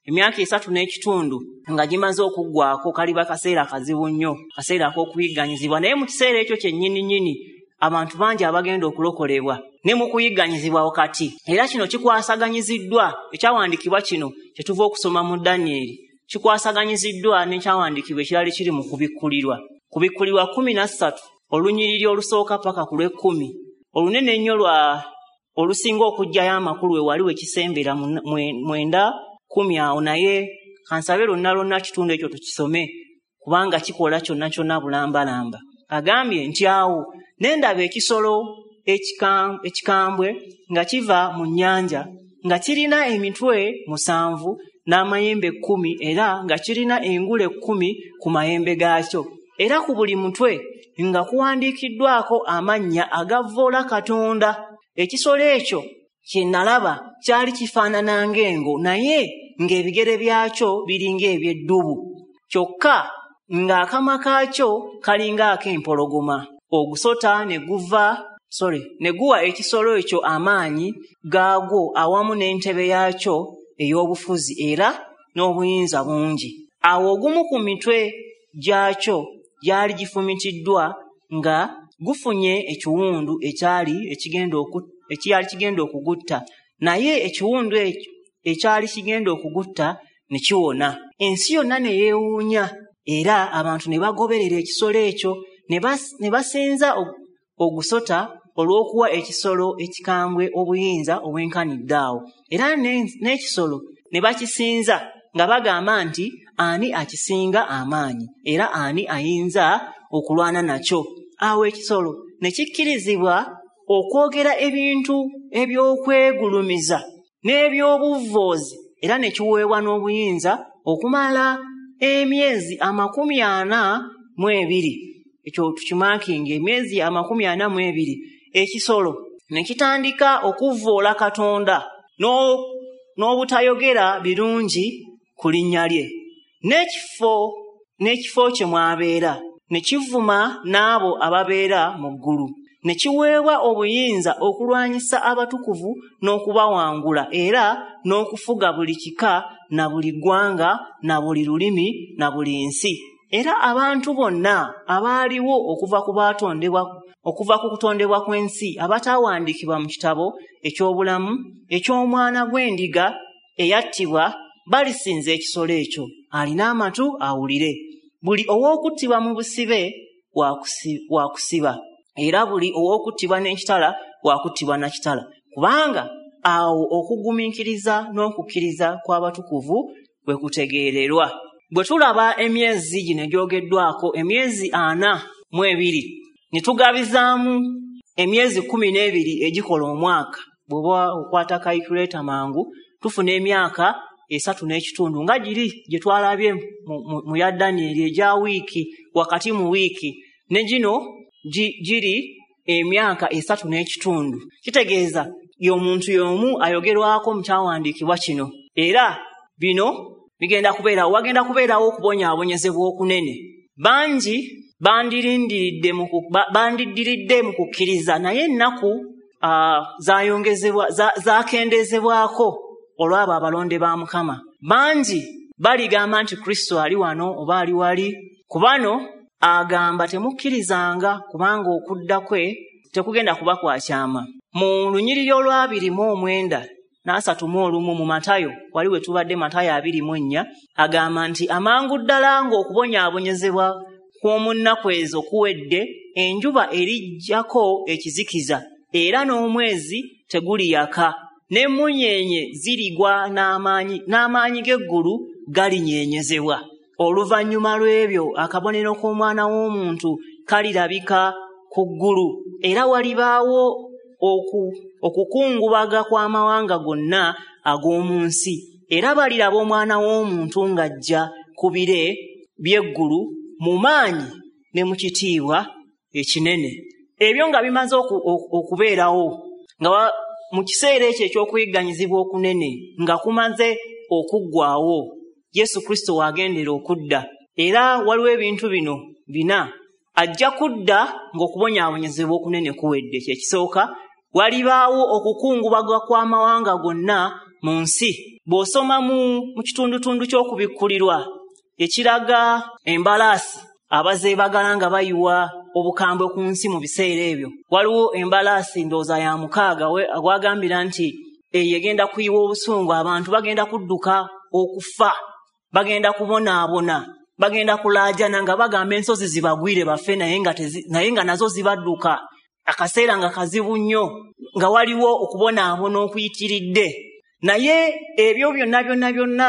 emyaka 3 n'ekitundu nga gimaze okuggwako, kaliba kaseera kazibu nnyo, kaseera ak'okuyigganyizibwa. Naye mu kiseera ekyo kyennyini nnyini abantu bangi abagenda okulokolebwa ne mu kuyigganyizibwa wakati. Era kino kikwasaganyiziddwa, ekyawandiikibwa kino kye tuva okusoma mu Danyeri kikwasaganyiziddwa n'ekyawandiikibwa ekirala ekiri mu kubikkulirwa. Kubikkulirwa 13 olunyiriri olusooka paka ku lw'ekkumi, olunene ennyo lwa olusinga okuggyayo amakulu we wali we kisembera 9, 10 awo. Naye kansabe lwonna lwonna kitundu ekyo tukisome kubanga kikola kyonna kyonna bulambalamba. Agambye nti awo ne ndaba ekisolo ekikambwe nga kiva mu nnyanja, nga kirina emitwe 7 n'amayembe 10, era nga kirina engule 10 ku mayembe gaakyo, era ku buli mutwe nga kuwandiikiddwako amannya agavvoola Katonda. Ekisolo ekyo kye nalaba kyali kifaanana ng'engo, naye ng'ebigere byakyo biringa eby'eddubu, kyokka ng'akamwa kaakyo kalinga ak'empologoma. Ogusota ne guwa ekisolo ekyo amaanyi gaagwo awamu n'entebe yaakyo ey'obufuzi era n'obuyinza bungi. Awo ogumu ku mitwe gyakyo gyali gifumitiddwa nga gufunye ekiwundu ekyali kigenda okugutta, naye ekiwundu ekyo ekyali kigenda okugutta ne kiwona. Ensi yonna ne yeewuunya, era abantu ne bagoberera ekisolo ekyo ne basinza ogusota olw'okuwa ekisolo ekikambwe obuyinza obwenkanidde awo. Era n'ekisolo ne bakisinza nga bagamba nti ani akisinga amaanyi, era ani ayinza okulwana nakyo. Awo ekisolo ne kikkirizibwa okwogera ebintu eby'okwegulumiza n'eby'obuvvoozi, era ne kiweebwa n'obuyinza okumala emyezi 42. Ekyo tukimakinga, emyezi 42. Ekisolo ne kitandika okuvvoola Katonda n'obutayogera birungi ku linnya lye, n'ekifo kye mwabeera, ne kivuma n'abo ababeera mu ggulu. Ne kiweebwa obuyinza okulwanyisa abatukuvu n'okubawangula, era n'okufuga buli kika na buli ggwanga na buli lulimi na buli nsi. Era abantu bonna abaaliwo okuva ku kutondebwa kw'ensi abataawandiikibwa mu kitabo eky'obulamu eky'omwana gw'endiga eyattibwa balisinza ekisolo ekyo. Alina amatu awulire. Buli ow'okuttibwa mu busibe wakusiba, era buli ow'okuttibwa n'ekitala wakuttibwa na kitala, kubanga awo okugumiikiriza n'okukkiriza kw'abatukuvu bwe kutegeererwa. Bwe tulaba emyezi gino egyogeddwako, emyezi 42, ne tugabizaamu emyezi 12 egikola omwaka, bw'oba okwata calculator mangu tufuna emyaka 3 n'ekitundu nga giri gye twalabye mu ya Danyeri egya wiiki, wakati mu wiiki, ne gino giri emyaka 3 n'ekitundu. Kitegeeza y'omuntu y'omu ayogerwako mu kyawandiikibwa kino. Era bino bigenda kubeerawo, wagenda kubeerawo okubonyaabonyezebwa okunene. Bangi bandiddiridde mu kukkiriza, naye ennaku zakendezebwako olw'abo abalonde ba Mukama. Bangi baligamba nti Kristo ali wano oba ali wali. Ku bano agamba temukkirizanga, kubanga okudda kwe tekugenda kuba kwa kyama. Mu lunyiriri olwa 29 na 31 mu Matayo, wali we tubadde Matayo 24, agamba nti amangu ddala ng'okubonyaabonyezebwa kw'omu nnaku ezo kuwedde, enjuba erijjako ekizikiza, era n'omwezi teguliyaka, n'emmunyeenye zirigwa n'amaanyi g'eggulu galinyeenyezebwa. Oluvannyuma lw'ebyo akabonero k'omwana w'omuntu kalirabika ku ggulu, era walibaawo okukungubaga kw'amawanga gonna ag'omu nsi, era baliraba omwana w'omuntu ng'ajja ku bire by'eggulu mu maanyi ne mu kitiibwa ekinene. Ebyo nga bimaze okubeerawo, nga mu kiseera ekyo eky'okuyigganyizibwa okunene nga kumaze okuggwaawo, Yesu Kristo w'agendera okudda. Era waliwo ebintu bino bina. Ajja kudda ng'okubonyaabonyezebwa okunene kuwedde. Kye kisooka, walibaawo okukungubaga kw'amawanga gonna mu nsi. Bw'osoma mu kitundutundu ky'okubikkulirwa ekiraga embalaasi abazeebagala nga bayiwa obukambwe ku nsi mu biseera ebyo, waliwo embalaasi ndowooza ya 6 wagambira nti eyo egenda kuyiwa obusungu, abantu bagenda kudduka okufa, bagenda kubonaabona, bagenda kulaajana nga bagamba ensozi zibagwire bafe, naye nga nazo zibadduka. Akaseera nga kazibu nnyo, nga waliwo okubonaabona okuyitiridde. Naye ebyo byonna byonna byonna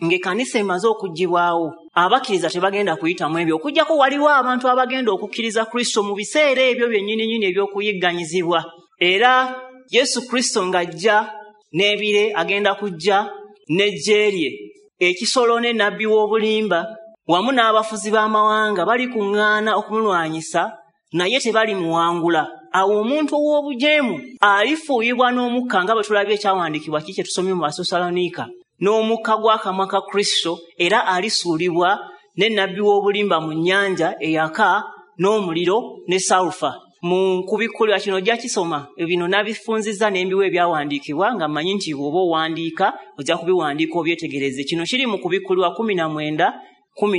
ng'ekkanisa emaze okuggyibwawo, abakkiriza tebagenda kuyitamu ebyo, okuggyako waliwo abantu abagenda okukkiriza Kristo mu biseera ebyo byennyininyini eby'okuyigganyizibwa. Era Yesu Kristo ng'ajja n'ebire, agenda kujja n'eggye lye, ekisolo ne nabbi w'obulimba wamu n'abafuzi b'amawanga balikuŋŋaana okumulwanyisa, naye tebalimuwangula. Awo omuntu ow'obujeemu alifuuyibwa n'omukka, nga bwe tulabye ekyawandiikibwa ki kye tusomye mu Batesaloniika, n'omukka gw'akamwa ka Kristo, era alisuulibwa ne nabbi w'obulimba mu nnyanja eyaka n'omuliro ne salufa. Mu kubikkulirwa kino ojja kisoma, bino nabifunzizza n'embiwa ebyawandiikibwa nga mmanyi nti bw'oba owandiika ojja kubiwandiika obyetegereze. Kino kiri mu kubikkulirwa 19,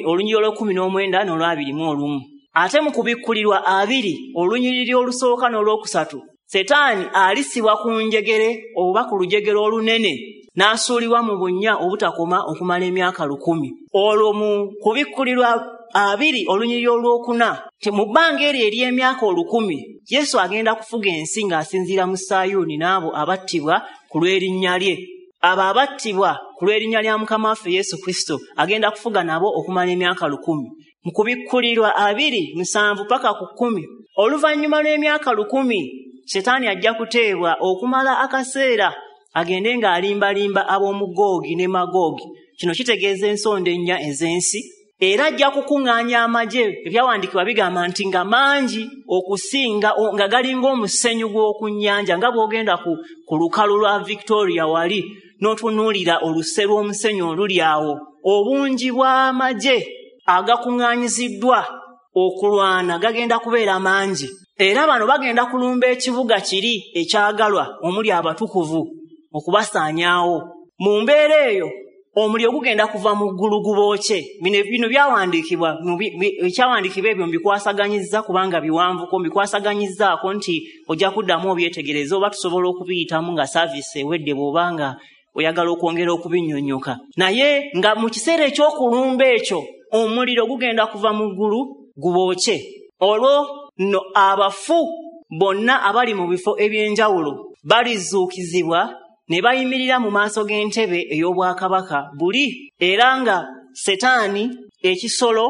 olunyiriri olw'19 n'olw'21. Ate mu kubikkulirwa 2, olunyiriri olusooka n'olwokusatu, Setaani alisibwa ku njegere oba ku lujegere olunene n'asuulibwa mu bunnya obutakoma okumala emyaka 1000. Olwo mu kubikkulirwa 2, olunyiriri olwokuna, mu bbanga eryo ery'emyaka 1000, Yesu agenda kufuga ensi ng'asinziira mu Sayuuni n'abo abattibwa ku lw'erinnya lye. Abo abattibwa ku lw'erinnya lya Mukama waffe Yesu Kristo agenda kufuga nabo okumala emyaka 1000. Mu kubikkulirwa 2, 7 paka ku 10, oluvannyuma lw'emyaka 1000, Setaani ajja kuteebwa okumala akaseera agende ng'alimbalimba ab'omu Googi ne Magoogi. Kino kitegeeza ensonda ennya ez'ensi. Era ajja kukuŋŋaanya amagye. Ebyawandiikibwa bigamba nti nga mangi okusinga, nga galinga omusenyu gw'oku nnyanja, nga bw'ogenda ku lukalu lwa Victoria wali n'otunuulira oluse lw'omusenyu oluli awo. Obungi bw'amagye agakuŋŋaanyiziddwa okulwana gagenda kubeera mangi. Era bano bagenda kulumba ekibuga kiri ekyagalwa omuli abatukuvu okubasaanyaawo. Mu mbeera eyo omuliro gugenda kuva mu ggulu gubookye. Bino byawandiikibwa, ekyawandiikibwa ebyo mbikwasaganyizza kubanga biwanvuko, mbikwasaganyizzaako nti ojja kuddamu obyetegereze oba tusobola okubiyitamu nga saaviisi ewedde bw'oba nga oyagala okwongera okubinnyonnyoka. Naye nga mu kiseera eky'okulumba ekyo omuliro gugenda kuva mu ggulu gubookye. Olwo nno abafu bonna abali mu bifo eby'enjawulo balizuukizibwa ne bayimirira mu maaso g'entebe ey'obwakabaka buli, era nga Setaani, ekisolo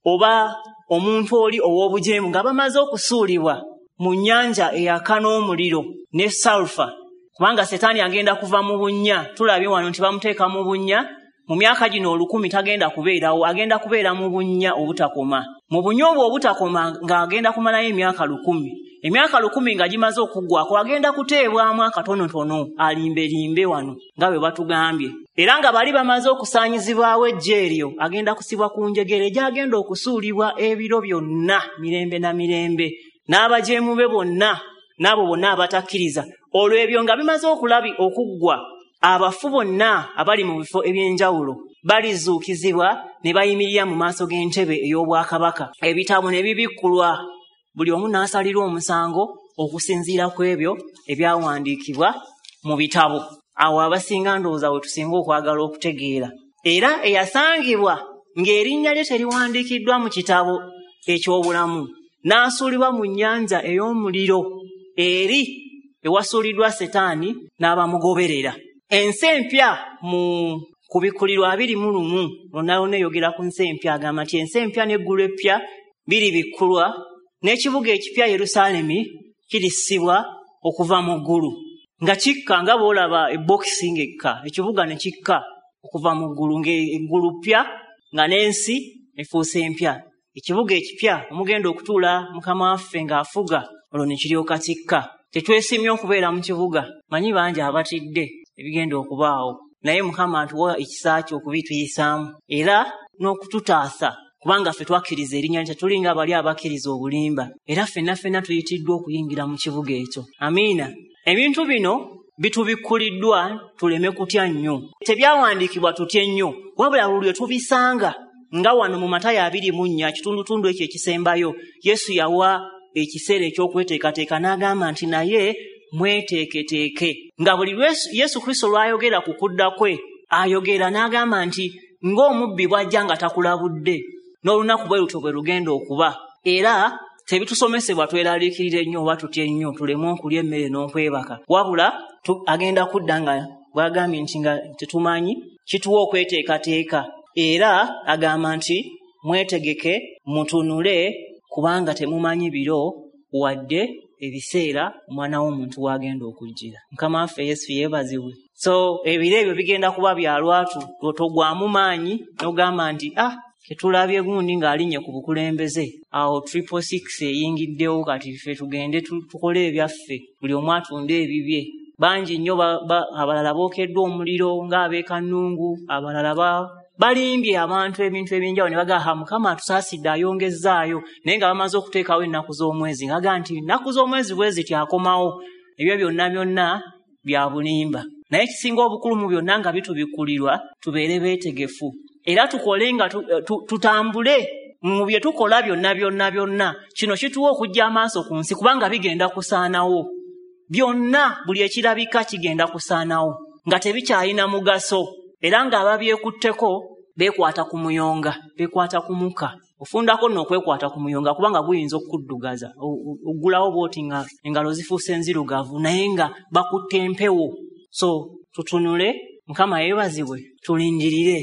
oba omuntu oli ow'obujeemu nga bamaze okusuulibwa mu nnyanja eyaka n'omuliro ne salufa, kubanga Setaani agenda kuva mu bunnya. Tulabye wano nti bamuteeka mu bunnya. Mu myaka gino 1000 tagenda kubeerawo, agenda kubeera mu bunnya obutakoma. Mu bunnya obwo obutakoma ng'agenda kumalayo emyaka 1000. Emyaka 1000 nga gimaze okuggwako agenda kuteebwamu akatonotono alimbelimbe wano nga bwe batugambye. Era nga bali bamaze okusaanyizibwawo eggye eryo, agenda kusibwa ku njegere gy'agenda okusuulibwa ebiro byonna mirembe na mirembe, n'abajeemu be bonna n'abo bonna abatakkiriza. Olwo ebyo nga bimaze okuggwa, abafu bonna abali mu bifo eby'enjawulo balizuukizibwa ne bayimirira mu maaso g'entebe ey'obwakabaka. Ebitabo ne bibikkulwa, buli omu n'asalirwa omusango okusinziira ku ebyo ebyawandiikibwa mu bitabo. Awo abasinga ndowooza we tusinga okwagala okutegeera. Era eyasangibwa ng'erinnya lye teriwandiikiddwa mu kitabo eky'obulamu n'asuulibwa mu nnyanja ey'omuliro eri ewasuuliddwa Setaani n'abamugoberera. Ensi empya mu kubikkulirwa 21 lwonna lwonna eyogera ku nsi empya, agamba nti ensi empya n'eggulu eppya biribikkulwa, n'ekibuga ekipya Yerusaalemi kirissibwa okuva mu ggulu nga kikka, nga bw'olaba ebokisi ng'ekka, ekibuga ne kikka okuva mu ggulu, ng'eggulu ppya nga n'ensi efuuse empya. Ekibuga ekipya omugenda okutuula Mukama waffe ng'afuga, olwo ne kiryoka kikka. Tetwesimye okubeera mu kibuga, manyi bangi abatidde ebigenda okubaawo, naye Mukama atuwa ekisa kye okubituyisaamu era n'okututaasa, kubanga ffe twakkiriza erinnya lye, tetulinga abali abakkiriza obulimba, era ffenna ffenna tuyitiddwa okuyingira mu kibuga ekyo. Amiina. Ebintu bino bitubikkuliddwa tuleme kutya nnyo. Tebyawandiikibwa tutye nnyo, wabula lwe tubisanga nga wano mu Matayo 24 kitundutundu ekyo ekisembayo, Yesu yawa ekiseera eky'okweteekateeka n'agamba nti naye mweteeketeeke. Nga buli Yesu Kristo lw'ayogera ku kudda kwe, ayogera n'agamba nti ng'omubbi bw'ajja nga takulabudde, n'olunaku bwe lutyo bwe lugenda okuba. Era tebitusomesebwa tweraliikirire nnyo oba tutye nnyo tuleme okulya emmere n'okwebaka, wabula agenda kudda nga bw'agambye nti nga tetumanyi, kituwa okweteekateeka. Era agamba nti mwetegeke, mutunule, kubanga temumanyi biro wadde ebiseera omwana w'omuntu w'agenda okujjira. Mukama waffe Yesu yeebazibwe. So ebiro ebyo bigenda kuba bya lwatu, togwamu maanyi n'ogamba nti tetulabye gundi ng'alinnye ku bukulembeze, awo 666 eyingiddewo, kati ffe tugende tukole ebyaffe, buli omu atunde ebibye. Bangi nnyo abalala bookeddwa omuliro ng'abeekannungu, abalala balimbye abantu ebintu ebyenjawulo ne bagamba Mukama atusaasidde ayongezzaayo, naye nga bamaze okuteekawo ennaku z'omwezi, nga bagamba nti ennaku z'omwezi bwe ziti akomawo. Ebyo byonna byonna bya bulimba. Naye ekisinga obukulu mu byonna nga bitubikkulirwa, tubeere beetegefu era tukole nga tutambule mu bye tukola byonna byonna byonna. Kino kituwa okujja amaaso ku nsi, kubanga bigenda kusaanawo byonna, buli ekirabika kigenda kusaanawo nga tebikyalina mugaso, era ng'ababyekutteko beekwata ku muyonga, beekwata ku muka. Ofundako nno okwekwata ku muyonga kubanga guyinza okukuddugaza, oggulawo bw'oti nga engalo zifuuse nzirugavu, naye nga bakutte empewo. So tutunule, Mukama yeebazibwe, tulindirire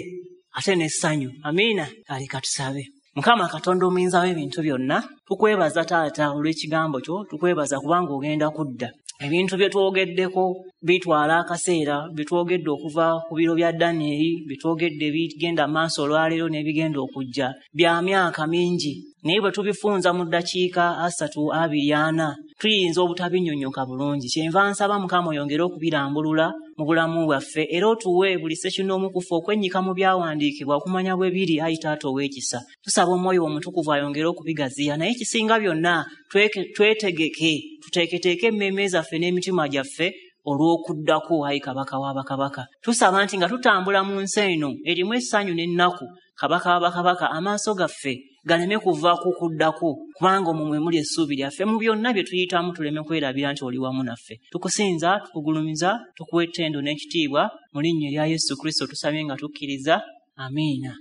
ate n'essanyu. Amiina. Kale katusabe. Mukama Katonda omuyinza w'ebintu byonna, tukwebaza Taata olw'ekigambo kyo, tukwebaza kubanga ogenda kudda. Ebintu bye twogeddeko bitwala akaseera, bye twogedde okuva ku biro bya Danieri, bye twogedde bigenda maaso olwaleero n'ebigenda okujja, bya myaka mingi, naye bwe tubifunza mu ddakiika 3 2 4 tuyinza obutabinnyonnyoka bulungi. Kyenva nsaba Mukama oyongere okubirambulula mu bulamu bwaffe, era otuwe buli ssekinnoomu ku ffe okwennyika mu byawandiikibwa okumanya bwe biri, ayi Taata ow'ekisa. Tusaba Omwoyo Omutukuvu ayongere okubigaziya, naye ekisinga byonna twetegeke, tuteeketeeke emmeeme zaffe n'emitima gyaffe olw'okuddako, ayi Kabaka w'abakabaka. Tusaba nti nga tutambula mu nsi eno erimu essanyu n'ennaku, Kabaka w'abakabaka, amaaso gaffe galeme kuva ku kuddako, kubanga omwo mwe muli essuubi lyaffe. Mu byonna bye tuyitamu tuleme kwerabira nti oli wamu naffe. Tukusinza, tukugulumiza, tukuwa ettendo n'ekitiibwa mu linnya erya Yesu Kristo tusabye nga tukkiriza. Amiina.